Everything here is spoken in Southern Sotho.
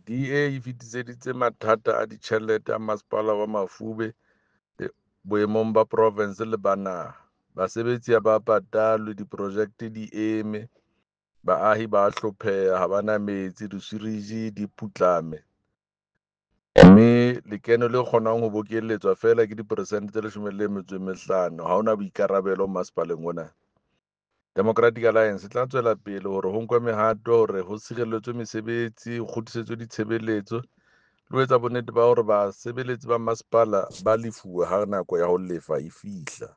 DA e fetiseditse mathata a ditjhelete a Masepala wa Mafube boemong ba provense le ba naha. Basebetsi ha ba patalwe, diprojekte di eme, baahi ba hlopheha, ha ba na metsi, disiwiriji di putlame, mme lekeno le kgonwang ho bokelletswa feela ke diperesente tse 15. Ha hona boikarabelo masepaleng ona. Democratic Alliance e tla tswela pele hore ho nkwe mehato hore ho sireletswe mesebetsi, ho kgutlisetswe ditshebeletso le ho etsa bonnete ba hore basebeletsi ba masepala ba lefuwe ha nako ya ho lefa e fihla.